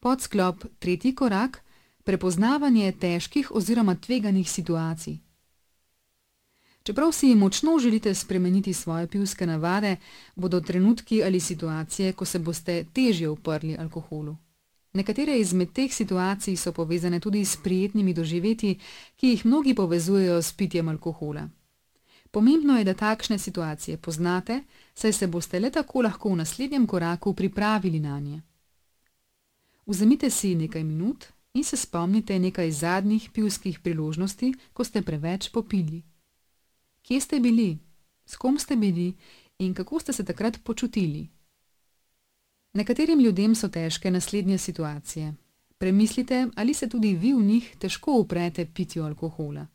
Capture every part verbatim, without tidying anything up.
Podsklop tretji korak: prepoznavanje težkih oziroma tveganih situacij. Čeprav si močno želite spremeniti svoje pivske navade, bodo trenutki ali situacije, ko se boste težje uprli alkoholu. Nekatere izmed teh situacij so povezane tudi s prijetnimi doživetji, ki jih mnogi povezujejo s pitjem alkohola. Pomembno je, da takšne situacije poznate, saj se boste le tako lahko v naslednjem koraku pripravili nanje. Vzemite si nekaj minut in se spomnite nekaj zadnjih pivskih priložnosti, ko ste preveč popili. Kje ste bili, s kom ste bili in kako ste se takrat počutili? Nekaterim ljudem so težke naslednje situacije. Premislite, ali se tudi vi v njih težko uprete pitju alkohola.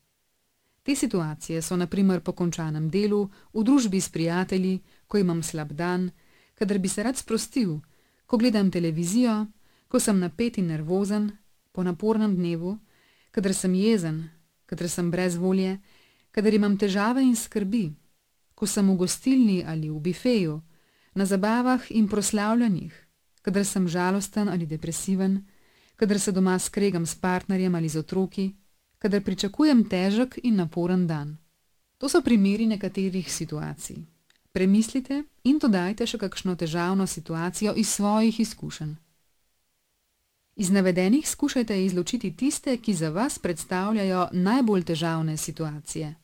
Te situacije so na primer po končanem delu, v družbi s prijatelji, ko imam slab dan, kadar bi se rad sprostil, ko gledam televizijo, ko sem napet in nervozen, po napornem dnevu, kadar sem jezen, kadar sem brez volje, kadar imam težave in skrbi, ko sem v gostilni ali v bifeju, na zabavah in proslavljanjih, kadar sem žalosten ali depresiven, kadar se doma skregam s partnerjem ali z otroki, kadar pričakujem težek in naporen dan. To so primeri nekaterih situacij. Premislite in dodajte še kakšno težavno situacijo iz svojih izkušenj. Iz navedenih skušajte izločiti tiste, ki za vas predstavljajo najbolj težavne situacije.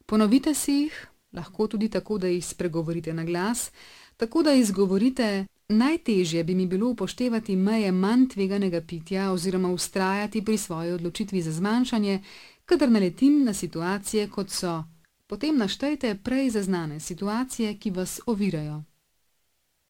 Ponovite si jih, lahko tudi tako, da jih spregovorite na glas, tako da izgovorite: najtežje bi mi bilo upoštevati meje manj tveganega pitja oziroma vztrajati pri svoji odločitvi za zmanjšanje, kadar naletim na situacije, kot so. Potem naštejte prej zaznane situacije, ki vas ovirajo.